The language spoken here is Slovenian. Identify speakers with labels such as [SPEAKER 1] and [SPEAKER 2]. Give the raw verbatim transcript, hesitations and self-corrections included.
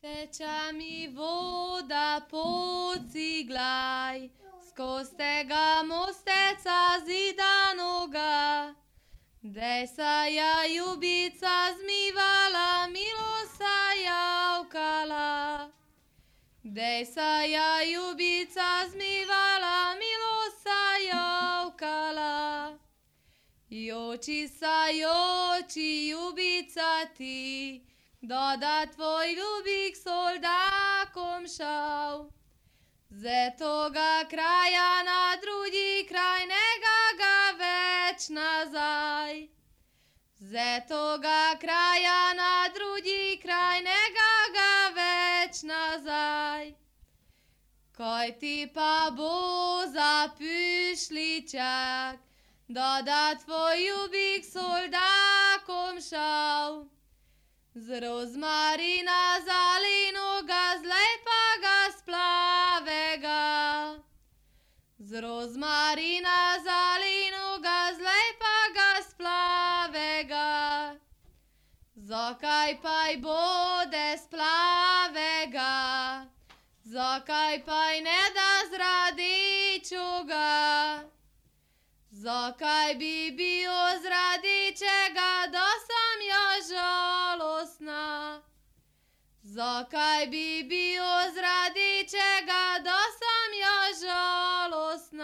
[SPEAKER 1] Teča mi voda pociglaj, skoz tega mosteca zidanoga. Dej sa ja ljubica zmivala, milo sa javkala. Dej sa ja ljubica zmivala, milo sa javkala. Joči sa joči ljubica ti, doda tvoj ljubik soldakom šal. Ze toga kraja na drugi kraj nega ga več nazaj. Ze toga kraja na drugi kraj nega ga več nazaj. Kaj ti pa bo za pišličak, doda tvoj ljubik soldakom šal. Z rozmarina zalinoga, z lepaga splavega. Z rozmarina zalinoga, z lepaga splavega. Zakaj paj bode splavega, zakaj paj ne da z radečoga. Zakaj bi bio z radečega, da sam ja žalostna? Zakaj bi bio z radečega, da sam ja žalostna?